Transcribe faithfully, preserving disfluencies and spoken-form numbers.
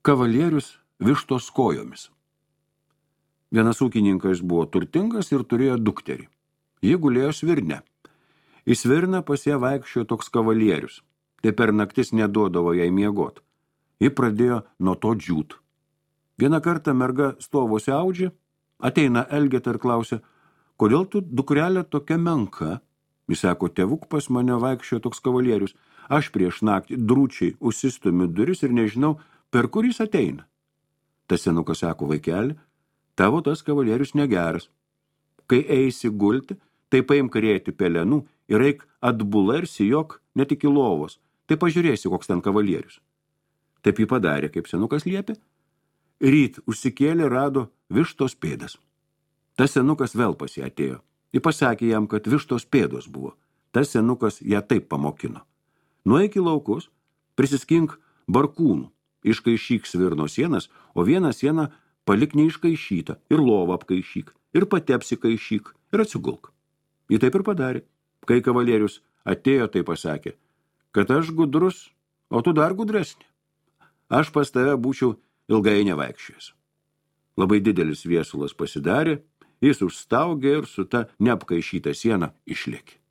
Kavalierius vištos kojomis. Vienas ūkininkas buvo turtingas ir turėjo dukterį. Ji gulėjo svirne. Į svirną pas ją vaikščiojo toks kavalierius. Tai per naktis neduodavo jai miegot. Ji pradėjo nuo to džiūt. Vieną kartą merga stovosi audžia, ateina Elgeta ir klausia, kodėl tu, dukrelė, tokia menka? Jis sako, tėvuk, pas mane vaikščiojo toks kavalierius. Aš prieš naktį drūčiai užsistumiu duris ir nežinau, per kur jis ateina. Tas senukas sako, vaikeli, tavo tas kavalierius negeras. Kai eisi gulti, tai paimk rėti pelenų ir eik atbula ir sijok net iki lovos. Tai pažiūrėsi, koks ten kavalierius. Taip jį padarė, kaip senukas liepė. Ryt užsikėlė, rado vištos pėdas. Tas senukas vėl pas ją atėjo. Ji pasakė jam, kad vištos pėdos buvo. Tas senukas ją taip pamokino. Nueik į laukus, prisiskink barkūnų, iškaišyk svirno sienas, o vieną sieną palik neiškaišytą ir lovą apkaišyk, ir pati apsikaišyk, ir atsigulk. Ji taip ir padarė. Kai kavalierius atėjo, tai pasakė, kad aš gudrus, o tu dar gudresnė. Aš pas tave būčiau ilgai nevaikščiojęs. Labai didelis viesulas pasidarė, jis užstaugė ir su ta neapkaišyta siena išlėkė.